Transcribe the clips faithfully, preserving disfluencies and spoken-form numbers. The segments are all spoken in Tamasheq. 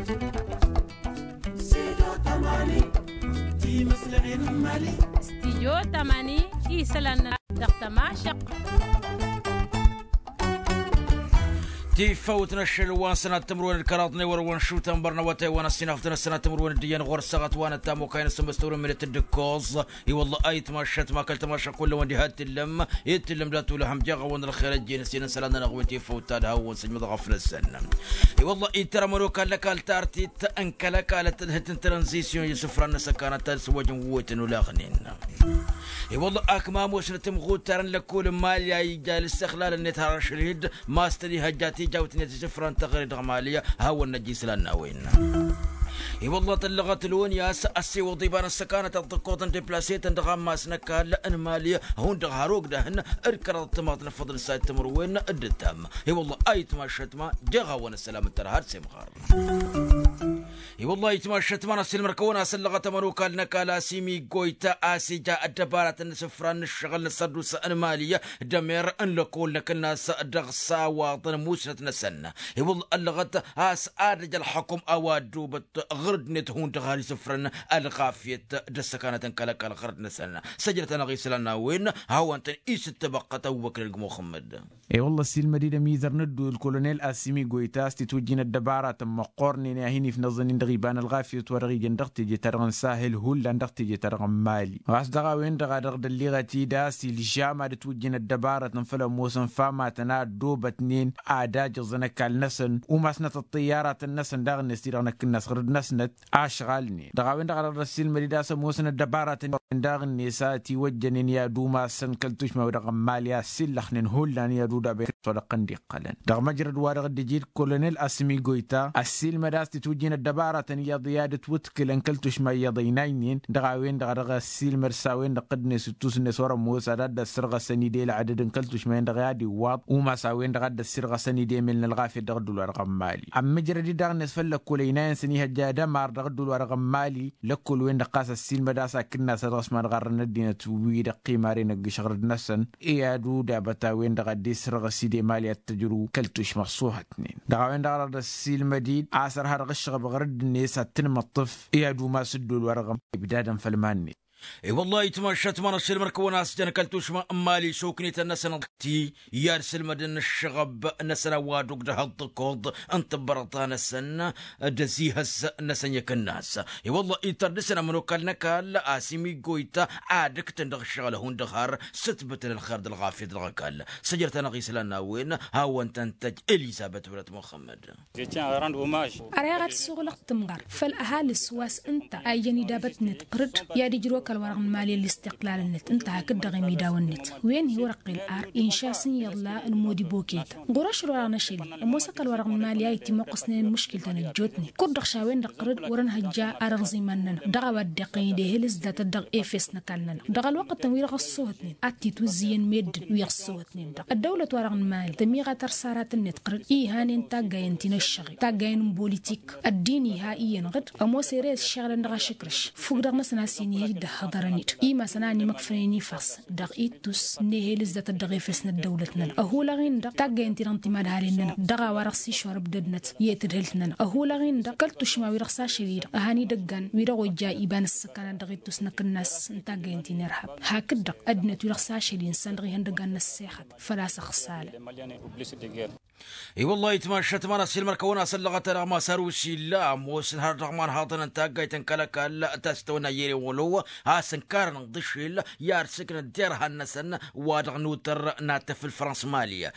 Studio tamani isălan-nănăɣ dăɣ-tămašăɣt. Tifăwt n-ašăl wa n-sănat timǝrwen d-kăraḍ n-ewăr wa n-šutăn bărnăwătay wa n-ăssinafăt n-ăssanat timǝrwen d-iyyăn ɣur-săɣăt wa n-ăttam okayăn s-măstăwrăn minit d-ǝkkoẓ. I-wălla ayǝtmašăt ma kăl-tămašăɣ kull-wăn diha d-tǝllăm i-tǝllăm dat-ulăhăm jeɣ-awăn ălxer ăjjeen s-inǝn isălan-nănăɣ wi n-tifăwt ta d-ha-wăn săjmăḍ ɣăflăsăn. I-wălla ittăr ămănokal n-ăkall tartit n-kăl-ăkall ăttălhǝt n-tranzisyon i-isǝfran n-asăkanăt ta d-sǝwwăjăn wetăn olaɣnen. I-wălla akmam osnăt imɣuttar n-lăkkol n-malya ija l-ǝssexlalăn-net har ašăl-i-dd ma s-tăn-ihăjja tijawt-net isǝfran n-taɣre dăɣ-malya. Hawăn-năj islan n-a-wen. I-wălla tăllăɣăt loni a-s ăssiwăḍ iba n-ăssăkanăt ad-ḍǝkkoḍ n-deplasetăn dăɣ-ammas n-ăkall n-malya hundăɣ har ogdăhăn d-kăraḍ timaḍ n-afăḍăn s-ad-timǝrwen d-ǝttam. I-wălla ayǝtmašăt ma jeɣ-awăn ăssălam n-tărha d-semɣar. I-wălla ayǝtmašăt ma n-ăssiilmăr-kăwăn a-s ăllăɣăt ămănokal n-ăkall asimi goyta a-s ija ăddăbaratăn n-isǝfran n-ǝššăɣǝl n-ăssărdus n-malya d-emer n-lăkol n-akǝnnas dăɣ-s a-wa ḍăn musnăt-năsăn. I-wălla ăllăɣăt a-s ad-ăj ălxăkum a-wa ăddoobăt ɣǝrǝd-net hundăɣ har isǝfrăn ălɣafyăt d-ăssăkanăt n-kăl-ăkall ɣǝrǝd-năsăn. Săjdăt-anăɣ islan n-a-wen hawăn-tăn-isǝttăbăqqăt ăbubăkr n-gmuxămmăd. I-wălla ăssiilmăd-dd ămizăr n-ădduul kolonel asimi goyta a-s titwǝjjin ăddăbaratăn măqqornen i-ad-hin-ifnăẓăn-in dăɣ-iba n-ălɣafyăt wa dăɣ-ijăn dăɣ-teje-ta-dăɣ n-sahil hullan dăɣ-teje-ta-dăɣ n-mali. Ɣas dăɣ-a-wen-dăɣ a dăɣ-dd-ălliɣăt-dd a-s ilžam ad-ǝtwǝjjǝn ăddăbarătăn făll-ămoosăn famatăn a ăddoobătnen ad-ajǝẓăn ăkall-năsăn umasnăt ăṭṭǝyyaratăn-năsăn daɣ-net ti-dăɣ năkk-năsɣǝrǝd-năsnăt ašɣalnen. Dăɣ-a-wen-dăɣ a dăɣ-dd-ăssiilmăd-dd a-s ămoosăn ăddăbarătăn daɣ-net a ătiwăjjănen i-ad-umasăn kăl-tušma-wi-dăɣ n-mali a ăssillăxnen hullan i-ad-udaben s-wa dăɣ-tăn-dd-iqqălăn. Dăɣ-măjrăd wa dăɣ-dd-iji d-kolonel asmi goyta ăssiilmăd a-s titwǝjjin ăddăbarătăn iyyăḍ i-ad-ǝtwǝtkǝlăn kăl-tušma iyyăḍ ăynaynen. Dăɣ-a-wen-dăɣ a dăɣ-ăssiilmăd s-a-wen-dăɣ dd-net ǝttus-net wăr-ămoos ad-dd-ăssărɣăsăn-dd i-ălɣădăd n-kăl-tušma-en-dăɣ i-ad-iwwaḍ umas a-wen-dăɣ a dd-ăssirɣăsăn-dd emel n-ălɣafyăt dăɣ-ăddul-wa-dăɣ n-mali. Ămmǝjrăd-dd daɣ-net făll-lăkkol ăynayăn s-ănihăjja d-ămar dăɣ-ăddul-wa-dăɣ n-mali. Lăkkol-wen-dăɣ ɣas ăssiilmăd a-s akǝnnas ad-dăɣ-s madɣarrăn ăddinăt wi-dăɣ qimaren ăgg-išɣǝrǝd-năsăn i-ad-udabăt a-wen-dăɣ ad-dd-isrăɣăs-dd emali ad-t-ăjrǝw kăl-tušma ăṣṣuhătnen. Dăɣ-a-wen-dăɣ a dăɣ-dd-ăssiilmăd-dd a-s ărha dăɣ-ǝššăɣăb ɣărădd-net ad-tǝnmăṭṭǝf i-ad-umas ǝddol-wa-dăɣ ămali ibdadăn făll-iman-net. I-wăllah itmašat ma n-ašilmăr-kăwăn a-s jăn kăl-tušma n-mali šoknităn-năsăn ti i-ad-sǝlmădăn ǝššăɣăb-năsăn a-wa d-ogdăh ăḍḍăkoḍ n-tǝbbărăḍa-năsăn d-ăzihăs-năsăn i-akǝnnas. I-wăllah ittăr dăr-săn ămănokal n-ăkall asimi goyta ad-ǝktăn dăɣ-ǝššăɣǝl hundăɣ har s-ǝtbǝtăn ălxer d-ălɣafyăt dăɣ-ăkall. Săjdăt-anăɣ islan n-a-wen hawăn-tăn-tăj elizăbet wălăt muxămmăd. Ărayăɣ ad-suɣǝlăɣ tǝmɣar făll-ăhalǝs wa s-ǝnta a ijăn idabăt-net ɣǝrǝd i-ad-ijrǝw ăkall-wa-dăɣ n-mali ăllistiqlal-net ǝnta hakd-dăɣ imidawăn-net wen hi-wăr-ăqqel ar inša a-s n-iyyăḍla n-modi boketa. Ɣur-ašăl wa dăɣ-năšăl-i ămoos ăkall-wa-dăɣ n-mali a ittimăqqăsnen ălmuškiltăn ăjjootnen kud-dăɣ šawen-dăɣ ɣǝrǝd wăr-ănhăjja arăɣẓiman-nănăɣ dăɣ-a-wa dd-iqqăyăn d-ehel ǝzdatăt dăɣ-efes n-ăkall-nănăɣ dăɣ-ălwăqqătăn wi-dăɣ ăṣṣoohătnen ad-t-itwǝzzǝyăn meddǝn wi ăṣṣoohătnen-dăɣ ăddăwlăt-wa-dăɣ n-mali tămiɣa tărsaratăn-net ɣǝrǝd ihănen taggayen ti n-ăššăɣel taggayen n-bolitik ăddin iha iyyăn ɣǝd ămoos ere ăššeɣlăn dăɣ-ašǝkrǝš fukk-dăɣ-năsăn a-s inihăj d-ăhhăḍărăn-dd imasăn a ănimăkfănen ifas dăɣ-ittus n-ehel ǝzzatăt dăɣ-efes n-ăddăwlăt-nănăɣ ăhulăɣ-in-dăɣ taggayen-ti-dăɣ n-timadhalen-nănăɣ dăɣ-a-wa-dăɣ s-išorăb dădnăt i-tǝdhǝlt-nănăɣ ăhulăɣ-in-dăɣ kăl-tušma-wi-dăɣ s-ašăl-i-dăɣ ăhan idăggan wi-dăɣ ojja iba n-ǝssǝkkanat dăɣ-ittus n-akǝnnas n-taggayen-ti n-irhab hakd-dăɣ ăddinăt-wi-dăɣ s-ašăl-i n-săn-dăɣ ihăndăggan n-ăssexăt făl-a-s ăxsalăn. I-wăllah itmašat ma n-asilmăr-kăwăn a-s ăllăɣăt-anăɣ ma s-arusil ămoosăn har dăɣ-imanhaḍăn n-taggayt n-kăl-ăkall ta s-tăwănna yerewălo a-s ǝnkarăn ǝnḍǝšel i-ad-sǝknăt derhan-năsăn wa dăɣ-nutăr n-ad-tăfǝl frăns mali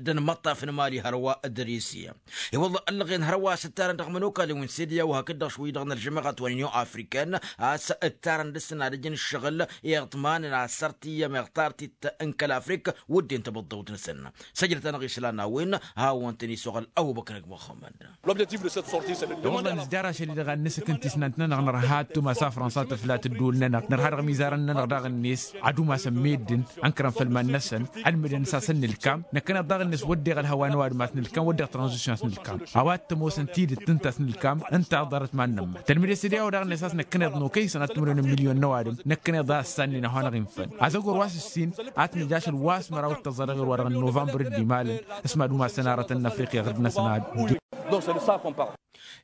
d-ănmăṭṭaf n-mali hărwa d-risiya. I-wăllah ăllăɣen hărwa a-s ǝttarăn dăɣ-imănokalăn wi n-sediya u-hakd-dăɣ šwǝyy dăɣ-nălžămăɣăt wa n-inyon afrikan a-s ǝttarăn dăr-săn ad-ǝjǝn ǝššăɣǝl iḍmanăn asăr tiyyăm iɣtartit n-kăl-afrik wădden tabăḍḍăwt-năsăn. Săjdăt-anăɣ islan n-a-wen hawăn-tăn-isuɣǝl ăbubăkr ăgg muxămmăd. Wăllah nǝzjar ašăl-i-dăɣ ad-nǝsǝkǝn tisnant-nănăɣ nărha ad-tumas a frănsa tǝfla tǝddǝwǝl-nănăɣ nărha dăɣ-imizarăn-nănăɣ daɣ-net ad-umasăn meddǝn ănkărăn făll-iman-năsăn ălmǝdăn s-asăn nǝlkam năkkăneḍ daɣ-net wădden ălhăwa n-ăwadǝm a-s nǝlkam wădden tranzisyon a-s nǝlkam a-wa t-ămoosăn tidǝt ǝnta a-s nǝlkam ǝnta a ḍarăt iman-nămma tălmǝd-e s-ed i-a-wa daɣ-net a-s năkkăneḍ n-okăy săn ad-t-ămrăwnen milyon n-ăwadǝm năkkăneḍ a ăssannen a hanăɣ-infăn azăgor wa s-ǝssin ad-t-nǝj ašăl wa s-măraw d-tăẓẓa dăɣ-erwa dăɣ-novămbăr d-imalăn s-mad-umasăn arătăn n-afriqya ɣǝrd-năsăn ad-dd-dd.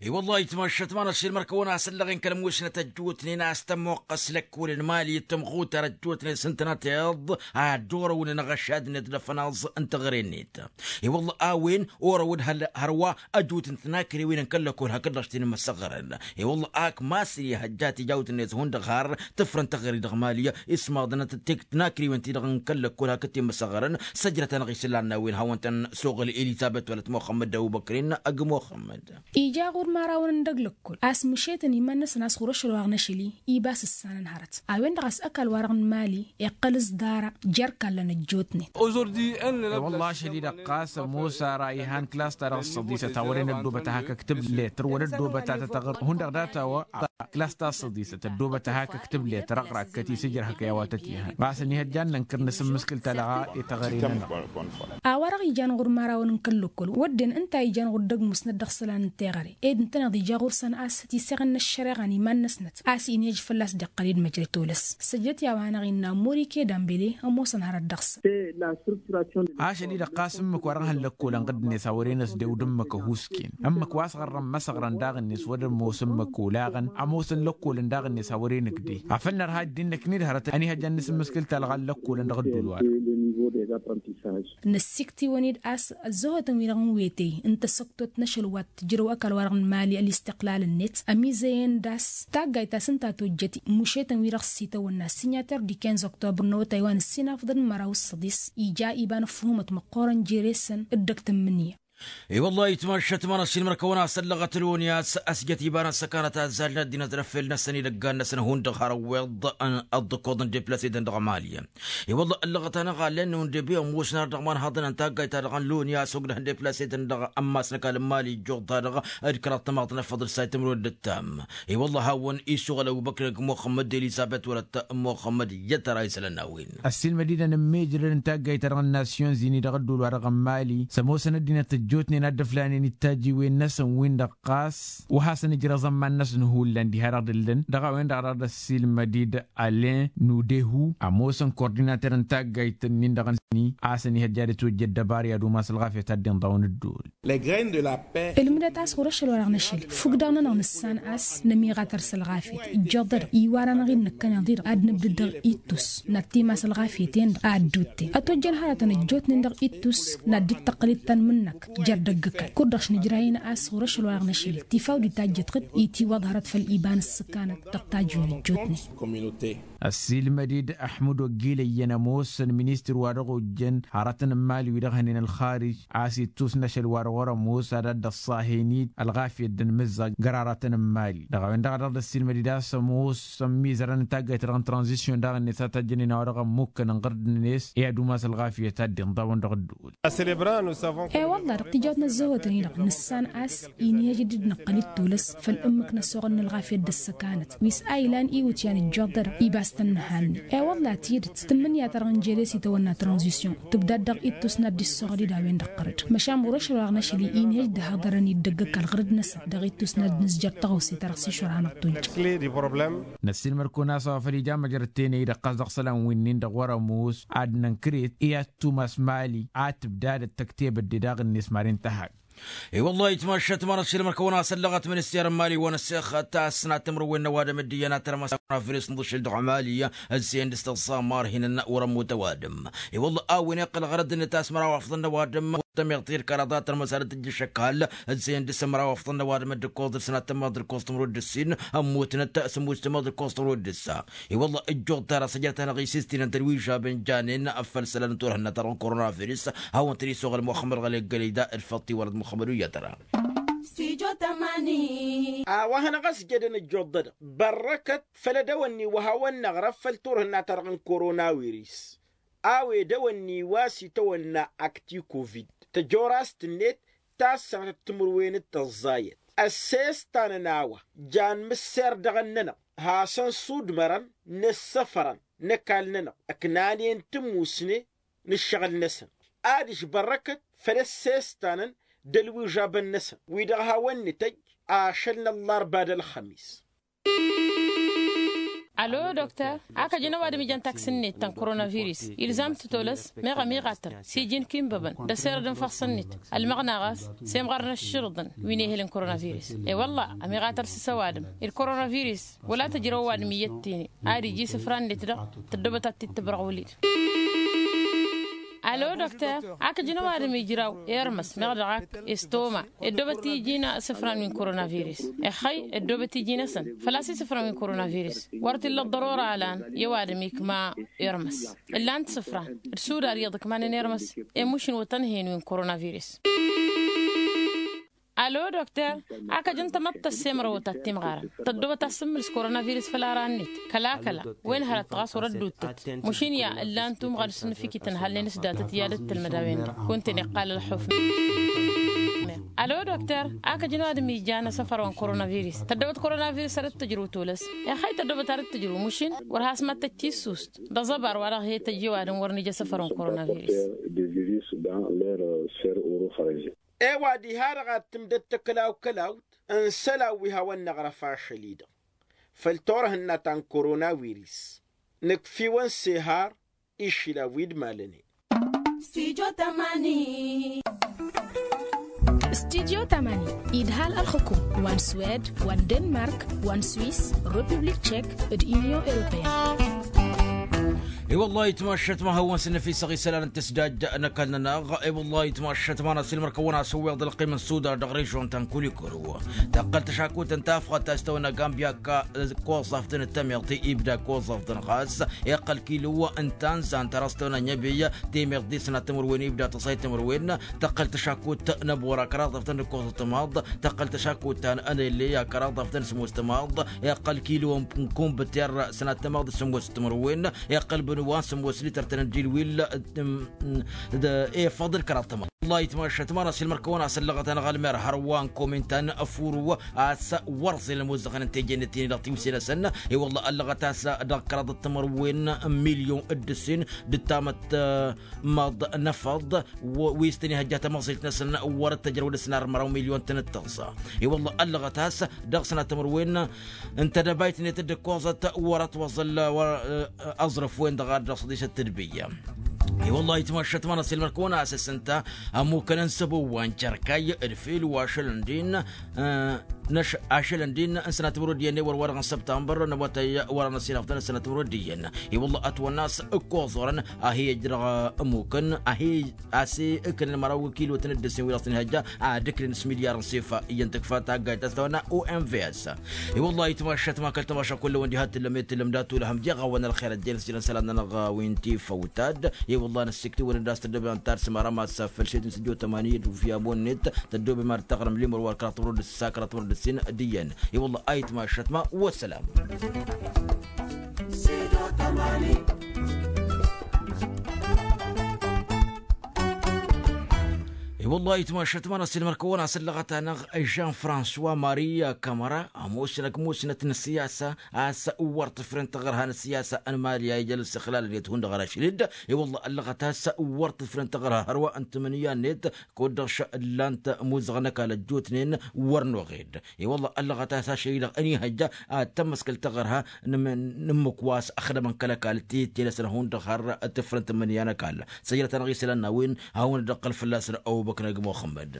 I-wălla-hi tmăššăt ma n-ašilmăr kăwăn-asăllăɣen kăl-musnăt ăjjootnen a-s tămmoqqăs lăkkolăn mali tămɣutar ăjjootnen s-ǝntănăteḍ a dd-orăwnen ăɣăššad-net d-afănaẓ n-teɣăre-net. I-wălla a-wen orăwăd hărwa ăjut n-tinakrewen n-kăl-lăkkol hakd-dăɣ s-tinǝmmăsăɣrăn. I-wălla ak masri hăjjat ijawt-net hundăɣ har tǝfrăn teɣăre dăɣ-mali ismaḍăn tinakrewen-ti-dăɣ n-kăl-lăkkol hakd tinǝmmăsăɣrăn. Săjrăt-anăɣ isǝllan n-a-wen hawăn-tăn-suɣǝl elizabet wăla t-muxămmăd d-abubăkrin ăgg muxămmăd. Ija ɣur-imărawăn n-dăgg-lăkkol a-s mǝšetăn iman-năsăn a-s ɣur-ašăl wa dăɣ-năšăl-i ibas ǝssanăn hărăt a-wen-dăɣ a-s ăkall-wa-dăɣ n-mali iqqăl s-dara jer-kallăn ăjjootnen. I-wălla ašăl-i-dăɣ ɣas ămoos ara ihan klas-ta-dăɣ ăssăḍisăt a wăren ăddoobăt ad-hak-ǝktǝb letăr wăla ăddoobăt ad-tătăɣr hundăɣ data-wa. Klas-ta ăssăḍisăt ăddoobăt ad-hak-ǝktǝb letăr ăɣrakkăt isǝjrăhăk i-a-wa tăt-ihan ɣas ănihăjja ad-nănkăr n-asǝmmǝskǝl-ta-dăɣ. I-teɣăre-nănăɣ. A-wa-dăɣ ijan ɣur-imărawăn n-kăl-lăkkol wădden ǝnta a ijan ɣur-dd-ăgg-musnăt dăɣ-isălan n-teɣăre ed ǝntăneḍ ija ɣur-săn a-s tiseɣen n-ăššăreɣa n-iman-năsnăt a-s inhăj fălla-s dd-iqqăl d-măjrăt olăs. Săjdăt i-a-wa-năɣ innă ămmori ked ambele ămoosăn hărăt dăɣ-săn. Ašăl-i-dăɣ ɣas ǝmmǝk wa dăɣ-hăn lăkkolăn ɣǝddǝnet a wăren ăsdew d-ǝmmǝk ăhuusken ǝmmǝk wa s-ɣărrăn măsăɣrăn daɣ-net wăr-ămoos ǝmmǝk olaɣăn ămoosăn lăkkolăn daɣ-net a wăren ǝgde afăl nărha dd-innăkned hărăt ănihăjja ad-nǝsǝmmǝskǝl talɣa n-lăkkolăn dăɣ-ădduul-wa-dăɣ. Năssikt'-iwăn-dd a-s ăzzăhotăn-wi-dăɣ n-wetey n-tasăktot n-ašăl wa tǝjrăw ăkall-wa-dăɣ n-mali ălistiqlal-net ămizăyăn d-a-s taggayt ta s-ǝnta tojjăt mušetăn-wi-dăɣ s-itawănna s-signatăr d-ikenz oktobăr n-awătay wa n-ǝssin afḍăn n-măraw s-săḍis ija iba n-ăffuhǝmăt măqqoorăn jere-săn dd-ăgg tǝmmǝnǝya. I-wăllah itmăššăt ma n-ašilmăr kăwăn-asăllăɣăt loni a-s ăsjăt iba n-ăssăkanăt azzalnen ăddinăt d-efel-năsăn idăggan-năsăn hundăɣ har ăwweḍ ăḍḍăkkoḍ n-deplasetăn dăɣ-mali. I-wăllah ăllăɣăt-anăɣ allen n-unde bi ămoosnăr dăɣ-imanhaḍăn n-taggayt-ta-dăɣ n-loni a-s ogdăh n-deplasetăn dăɣ-ămmas n-ăkall n-mali ijjuḍ-ta-dăɣ d-kăraḍ tamaḍt n-efăḍ d-sayt timǝrwen d-ǝttam. I-wăllah hawăn-isuɣǝl ăbubăkr ăgg muxămmăd d-elizabet wăla t-muxămmăd iyyăt ara isălan n-a-wen. Ăssiilmăd-i-dăn n-imijrăd n-taggayt-ta-dăɣ n-nasyon zini dăɣ-ădduul-wa-dăɣ n-mali s-ămoosăn ăddinăt ăjjootnen a dd-ăflanen ittajiwen-năsăn-win-dăɣ ɣas wa hasăn-ǝjrăẓ ămman-năsăn hullan diha-dăɣ d-ǝllăn dăɣ-a-wen-dăɣ a dăɣ-dd-ăssiilmăd-dd alen nudehu ămoosăn kordinater n-taggayt-nin-dăɣ n-sini a-s ănihăjja ad-ătwăjja ăddăbar i-ad-umas ălɣafyăt ad-dd-inḍawăn ǝddul. Ǝlmǝdăt a-s ɣur-ašăl wa dăɣ-năšăl fukk-dăɣ-nănăɣ nǝssan a-s nămiɣat ar s-ălɣafyăt ijjăḍ-dăɣ iwar-anăɣ-in năkkăneḍ-i-dăɣ ad-nǝbdǝd dăɣ-ittus n-ad-timas ălɣafyăt-en-dăɣ a ădduutten ătwăjjăn hărătăn ăjjootnen dăɣ-ittus n-ad-dd-tăqqǝl ittan mǝnnăk jer-dăgg-ăkall kud-dăɣ šnǝjrayăn a-s ɣur-ašăl wa dăɣ-năšăl tifaw d-itajjăt ɣǝd itiwăḍ hărăt făll-iba n-ǝssǝkanăt dăɣ-tajǝwen ăjjootnen. Ăssiilmăd-dd ăḥmǝd oggilăyyăn ămoosăn ministăr wa dăɣ-ojjăn hărătăn n-imali wi dăɣ-hănen ălxarij a-s ittus n-ašăl wa dăɣ-wăr-ămoos ad-ad-dd-ăṣṣa a hen-dd ălɣafyăt d-ănmǝzzaɣ găraratăn n-imali dăɣ-a-wen-dăɣ a dăɣ-dd-ăssiilmăd-dd a-s ămoos ămmiizărăn n-taggayt-ta-dăɣ n-tranzisyon daɣ-net a tajjănen a-wa dăɣ-ămmukkăn ǝnɣăr d-net i-ad-umas ălɣafyăt ad-dd-inḍawăn dăɣ-ădduul. E-wălla-hi dăɣ-tijawt n-ăzzăhotăn-i-dăɣ nǝssan a-s inhăj d-dd-năqqăl ittul a-s făll-ǝmmǝk n-ăssoɣăl n-ălɣafyăt d-ăssăkanăt wi s-a ilan iwǝtyan ǝjjoḍ-dăɣ ibas tăn-nǝhanne. E-wălla-hi tidǝt tǝmmǝnǝya-ta-dăɣ n-jere s-itawănna tranzisyon tǝbdad dăɣ-ittus n-ad-dd-issoɣăl-dd a-wen-dăɣ ɣărăd măšan ɣur-ašăl wa dăɣ-năšăl-i inhăj d-ăhhăḍărăn-dd dăgg-ăkall ɣărăd-năsăn dăɣ-ittus n-ad-nǝzjăr taɣawse ta dăɣ-s išwăr hanăɣ-tojjăr. Năssiilmăd-kăwăn a-s a-wa făl ija măjrăd tenăy-i-dăɣ ɣas dăɣ-isălan wi-nin-dăɣ wăr-ămoos ad-nănkăret i-ad-tumas mali ad-tǝbdadăt tăktebăt de daɣ-net maren tăhag. I-wăllah itmăššăt ma n-ašilmăr kăwăn-asăllăɣăt minister n-mali wa n-ăssexăt a-s n-ad-timǝrwen n-ăwadǝm d-iyyăn ad-tărmăs a-wen afăl isǝnḍǝšǝl dăɣ-mali ăzzeyăn dăɣ-s tăẓẓa marhinăn wăr-ămmut ăwadǝm. I-wăllah a-wen iqqăl ɣărăd-net a-s măraw afḍăn n-ăwadǝm tămiḍt i-dd-kăraḍ ad-tărmăs ad-tǝjjǝš ăkall ăzzeyăn dăɣ-s măraw afḍăn n-ăwadǝm d-ǝkkoẓ dăɣ-s n-ad-tămmaḍ d-ǝkkoẓ tǝmrud d-ǝssin ămmutnăt s-ămmus tămmaḍ d-ǝkkoẓ tǝmrud d-ǝssa. I-wăllah ǝjjuḍ-t ara săjdăt-anăɣ isistǝnăn tălwižabăn janen făll-isălan n-turhǝnna-ta-dăɣ n-koronavirus. Hawăn-tăn-isuɣǝl muxămmăd ɣălek gălăyda d-făṭṭi wăr-dd muxămmăd uyyăt-ra. A-wa hanăɣ-ăsjădăn ǝjjuḍ-dăɣ bărrăkăt făll-edăwănni wa hawăn-năɣrăf făll-turhǝnna-ta-dăɣ n-koronavirus. A-wa edăwănni wa s-itawănna akti kovid tăjorast-net ta s-sănatăt timǝrwen d-tăẓẓayăt ăssestan n-a-wa jan mǝsser dăɣ-ǝnnănăɣ hasăn-sudmărăn n-ǝssăfărăn n-ăkall-nănăɣ ǝknanen tǝmmusne n-ǝššăɣǝl-năsăn. Ad-ǝžbărrăkăt făll-ăssestanăn d-ălwižabăn-năsăn wi-dăɣ hawăn-nǝtăjj ašăl n-ăllarba d-ălxămis. Alo dokter, ak ăjăn ăwadǝm ijăn taksǝn-net ta n-koronavirus. Ilzam-t tolăs meɣ ămiɣatăr s-iji n-kinbăbăn d-ăserăd n-făɣsăn-net. Ălmăɣna ɣas s-emɣarăn ăššǝlǝḍăn wi n-ehăl n-koronavirus. E-wălla ămiɣatăr s-s ăwadǝm d-koronavirus wăla tǝjrăw ăwadǝm iyyăt tene. Ad-iji isǝfra-net-dăɣ tăddobăt ad-t-dd-tǝbrăɣ wăl-i-dăɣ. Alo dokter, ak ǝjǝn ăwadǝm ijraw irmăs meɣ dăɣ-ak estoma. Ăddoobăt iji n-isǝfran wi n-koronavirus. Ixăy ăddoobăt iji-năsăn făl-a-s isǝfran wi n-koronavirus. Wăr t-illa ăḍḍărora ălan i-ăwadǝm ikma irmăs. Ǝllan-t isǝfran d-sudar iyyăḍ ǝkmanăn irmăs. Emušǝn wătăn hen wi n-koronavirus. Alo dokter, ak ăjăn tamăḍt tăssemrăwăt ad-timɣarăn tăddobăt ad-sǝmmǝlǝs koronavirus făll-ara-net. Kăla-kăla wen hărăt ɣas wăr-ădduuttăt. Mušǝn ya ǝllan tumɣa d-asǝnnǝfikit ǝnhălnen s-datăt i-ad-dd-tǝlmăd a-wen-dăɣ kunta-en iqqal ălxuf. Alo dokter, ak ăjăn ăwadǝm ija n-asăfăr wa n-koronavirus tăddobăt koronavirus a dd-tǝjrǝw tolăs. Ixăy tăddobăt a dd-tǝjrǝw mušǝn wăr has-mad-tăj tissust d-aẓăbar wa-dăɣ he-tăjj i-ăwadǝm wăr nǝj asăfăr wa n-koronavirus. Ewăddi ha-dăɣ ad-tǝmdăt tăkălaw-kălawt n-isălan wi hawăn-năɣrăf ašăl-i-dăɣ făll-turhǝnna ta n-koronavirus. Nǝkf'-iwăn s-ehar išilan wi d-malănen. Studio tamani. Studio tamani idhal ălxǝkum wa n-swed wa n-denmark wa n-swis, republik tchek, d-union européenne. I-wăllah itmašat ma hawăn-s n-efisăɣ isălan n-tǝsdajja n-ăkall-nănăɣ. I-wăllah itmašat ma n-asilmăr kăwăn-asǝwweḍ ălqim n-sudar dăɣ-režon ta n-kulikuru. Tăqqăl tăšakut n-tafɣăt ta s-tăwănna gambia ăkall koẓaf d-nǝttămeḍ ti ibda koẓaf d-nɣas. Iqqăl kilu n-tanzan ta dăɣ-s tăwănna ănyăbey temeḍ d-isnat timǝrwen ibda tăṣayt timǝrwen. Tăqqăl tăšakut n-ăbora kăraḍaf d-nǝkkoẓăt timaḍ. Tăqqăl tăšakut ta n-anăyălle kăraḍaf d-nǝsmos timaḍ. Iqqăl kilu n-kumbǝter sănat timaḍ d-sǝmmos timǝrwen. Iqqăl bǝnwa n-sǝmmos lităr tăn-ăddilwil. D-efăḍ d-kăraḍ timaḍ. Wăllah itmašat ma n-asilmăr kăwăn-asăllăɣăt-anăɣ ălmer hărwa n-komin ta n-ăfuru a-s wăr ẓel ălmuzăɣăn n-teje-net-in-dăɣ tiwse-năsăn. I-wăllah ăllăɣăt a-s dăɣ-kăraḍăt timǝrwen n-milyon d-ǝssin d-tamăt măḍ n-efăḍ wi s-tăn-ihăjja tamăẓilt-năsăn wăr t-ăjrăw d-ăsnar măraw milyon tăn-dd-tăẓẓa. I-wăllah ăllăɣăt a-s dăɣ-sănat timǝrwen n-tedăbayt-net dd-ǝkkoẓăt wăr-ătwăẓăl wăr-ăẓrǝf-wen-dăɣ ad-dăɣ-săḍisăt tedbǝyya. I-wăllah itmašat ma n-asilmăr kăwăn-asăs ǝnta ămmukăn n-săbo wa n-cerkay d-fel wa ašăl ǝndin. Ašăl ǝndin n-sănat timǝrwen d-iyyăn i-wăr wa dăɣ-n săbtambăr n-awătay wăr-anăsinăfḍăn s-sănat timǝrwen d-iyyăn. I-wăllah ătwănna a-s ǝkkoẓărăn a hi-ijrăɣ ămmukăn a hi-ase ǝknăn măraw kilo-tăn dd-ǝssin wi dăɣ-s tăn-ihăjja ad-ǝknen s-milyar n-sefa iyyăn tǝkfa taggayt ta s-tawănna omvs. I-wăllah itmašat ma kăl-tamaša kull-ăwăn diha t-tǝllăm i-tǝllăm dat-ulăhăm jeɣ-awăn ălxer ăjjeen s-jilăn isălan-nănăɣ wi n-tifăwtad. I-wăllah năssikt'-iwăn-dd a-s tăddobem ad-tarsǝm arămas făll-šedin s-ǝjjo tămani d-ufya amon-net tăddobem ad-taɣrǝm limăr wa d-kăraḍ timǝrwen d-ǝssa kăraḍ timǝrwen d-ǝssin d-iyyăn. I-wăllah a itmašat ma. Wăssalam. I-wăllah itmašat ma n-asilmăr kăwăn-asăllăɣăt-anăɣ žan françois maria kamăra ămoosăn ăgg musnăt n-siyasa a-s wăr tǝfrǝn taɣărha n-siyasa n-mali a ija l-sixlal-net hundăɣ ărašlid. I-wăllah ăllăɣăt a-s wăr tǝfrǝn taɣărha hărwa n-tǝmǝnǝya-net kud-dăɣ šăllan-t muzăɣ n-ăkall ăjjootnen wăr noɣed. I-wălla ăllăɣăt a-s ašăl-i-dăɣ ănihăjja ad-tămmăskăl taɣărha n-ǝmmǝk wa s-ăxdămăn kăl-ăkall tittelăsăn hundăɣ har tǝfrǝnt n-imǝnǝya n-ăkall. Săjdăt-anăɣ isălan n-a-wen hawăn-dd-ăqqăl fălla-săn ăbubăknăg muxămmăd.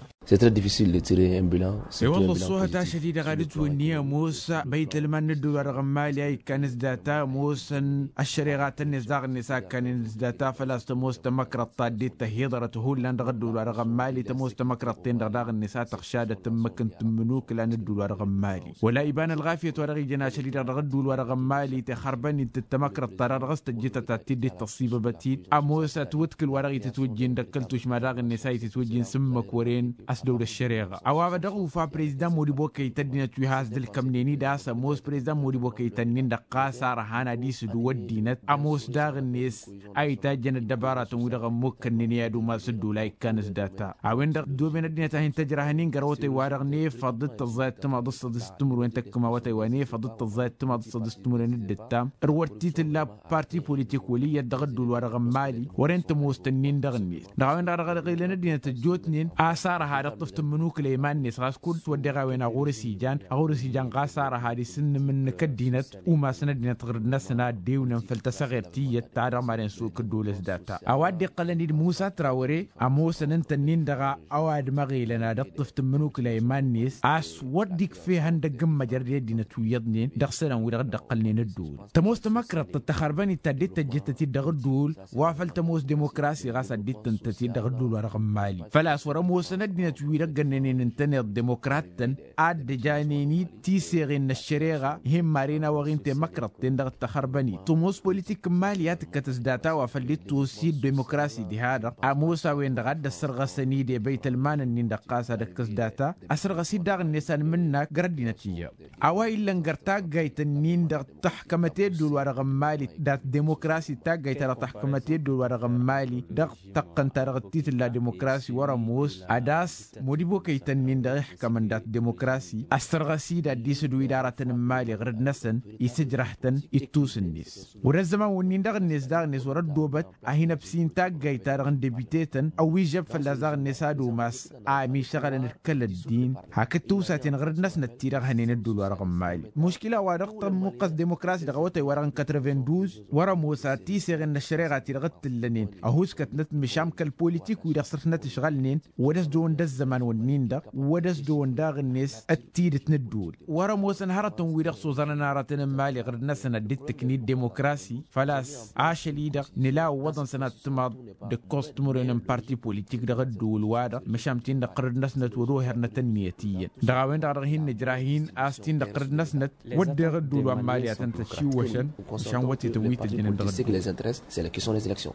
I-wălla ăṣṣoohăt ašăl-i-dăɣ ad-ǝtwǝnni ămoos băytălman n-ădduul-wa-dăɣ n-mali a ikkan s-data ămoosăn ăššăreɣa-tăn-net daɣ-net a ǝkkanen s-data făl-a-s tămoos tamăkrăḍt ta dd-tăhiḍărăt hullan dăɣ-ădduul-wa-dăɣ n-mali tămoos tamăkrăḍt-ten-dăɣ daɣ-net a tăɣšadăt ǝmmǝk n-tǝmmǝnukla n-ădduul-wa-dăɣ n-mali wăla iba n-ălɣafyăt wa dăɣ-ijăn ašăl-i-dăɣ dăɣ-ădduul-wa-dăɣ n-mali tixărbăn-dd tamăkrăḍt-ta-dăɣ dăɣ-s tăjjǝtăt ad-t-dd-tăṣṣibăbăt-dd ămoos ătwǝdkǝl wa dăɣ-itǝtwǝjjin d-ăkkăl tušma daɣ-net a itǝtwǝjjin s-ǝmmǝk wăren ăsdăw d-ăššăreɣa. A-wa dăɣ-ufa prezdan modibokăy tăddinăt wi has-dd-ǝlkămnen-dd a-s ămoos prezdan modibokăy tănnin-dăɣ ɣas ar ăhan ad-isǝdǝw ăddinăt ămoos daɣ-net a itajjăn ăddăbaratăn-wi-dăɣ ămmukkănnen i-ad-umas ădduul a ikkan s-data. A-wen-dăɣ ăddooben ăddinăt a hin-tăjrăhăn-in găr-awătay-wa-dăɣ n-efăḍ d-tăẓẓayăt timaḍ d-săḍis d-timǝrwen tăkkăm awătay wa n-efăḍ d-tăẓẓayăt timaḍ d-săḍis d-timǝrwen d-ǝttam. Ărwăr t-tǝlla parti politik wăl' iyyăt dăɣ-ădduul-wa-dăɣ n-mali wăren tămoos tănnin dăɣ-net dăɣ-a-wen-dăɣ dăɣ-ălɣilăn ăddinăt ăjjoot. Ǝtnen a-s arăha dăɣ-tǝft n-imǝnukǝla iman-net ɣas kull s-wădden a-wen aɣur-s ijan aɣur-s ijan ɣas arăha d-isǝnnǝm-nǝk ăddinăt umasăn ăddinăt ɣǝrǝd-năsăn a ăddewnen făll-tasăɣert tiyyăt ta dăɣ-maden s-okǝddolăs data a-wa dd-iqqălăn-dd musa trawăre. Ămoosăn ǝnta-nin-dăɣ a-wa d-măɣilăn ad-ǝṭṭǝf tǝmmǝnukǝla iman-net a-s wăr dd-ikf' ihăndăgg n-măjrăd i-ăddinăt wi iyyăḍnen dăɣ-isălan-wi-dăɣ dd-ăqqălnen ădduul. Tămoos tamăkrăḍt d-taxărbănit ta dd-tăjjăt-t-dd dăɣ-ădduul wa făl tămoos demokrasi ɣas ad-dd-tǝntăt-dd dăɣ-ădduul wa dăɣ-n-mali făl-a-s wăr-ămoosăn ăddinăt-wi-dăɣ gănnănen ǝntăneḍ demokrat-tăn ad-dd-ăjanen-dd tiseɣen n-ăššăreɣa. Hin-maren a-wa ɣin temăkrăḍten dăɣ-dd-taxărbănit tămoos politik n-mali a tǝkkăt s-data wa făl dd-tosi d-demokrasi diha-dăɣ ămoos a-wen-dăɣ a dd-ăssărɣăsăn-dd i-băytălman-ǝnnin-dăɣ ɣas ad-ăkkăs data. Ăsărɣăs-dd daɣ-net anmǝnnak găr ăddinăt iyyăḍ a-wa illăn găr taggayt-ǝnnin-dăɣ tăḥkămăt i-ădduul-wa-dăɣ n-mali dat-demokrasi d-taggayt-ta-dăɣ tăḥkămăt i-ădduul-wa-dăɣ n-mali dăɣ-tăqqăn-ta-dăɣ t-tǝlla demokrasi wăr-ămoos ad-ass modibokăy-tăn-in-dăɣ iḥkămăn dat-demokrasi ăssărɣăs-dd ad-dd-isǝdǝw-dd aratăn n-mali ɣǝrǝd-năsăn isǝjrăh-tăn ittus-net. Wăr-ăzzăman wǝnnin-dăɣ-net daɣ-net wăr-ăddoobăt a hin-ăbsin taggayt-ta-dăɣ n-debite-tăn ăwwižžăb fălla-s daɣ-net ad-umas a ămišăɣălăn d-kăl-ăddin hakd tiwsaten ɣǝrǝd-năsnăt ti-dăɣ hănen ădduul-wa-dăɣ n-mali muškila-wa-dăɣ tămmuqqăs demokrasi dăɣ-awătay-wa-dăɣ n-katravenduz. Wăr-ămoos ad-tiseɣen n-ăššăreɣa ti-dăɣ dd-tǝllănen ăhuskătnăt măšan kăl-politik-wi-dăɣ săr-snăt-ǝšɣălnen wăr-dăɣ-s dăɣ-wăn d-ăzzăman-wǝnnin-dăɣ wăr-dăɣ-s dăɣ-wăn daɣ-net ăttidǝt n-ădduul. Wăr-ămoosăn hărătăn-wi-dăɣ s-oẓărăn aratăn n-mali ɣǝrǝd-năsăn ad-dd-tǝknit demokrasi făl-a-s ašăl-i-dăɣ nǝla ǝwwăḍăn sănat timaḍ d-ǝkkoẓ timǝrwen n-parti politik dăɣ-ădduul-wa-dăɣ măšan tin-dăɣ ɣǝrǝd-năsnăt wăr-ohărnăt ănniyăt iyyăn dăɣ-a-wen-dăɣ a dăɣ-hin-nǝjrah-in a-s tin-dăɣ ɣǝrǝd-năsnăt wădden ădduul wa n-mali ad-tăn-tăšiwwăšăn măšan wătetăn wi tăjjănăn dăɣ-ădduul.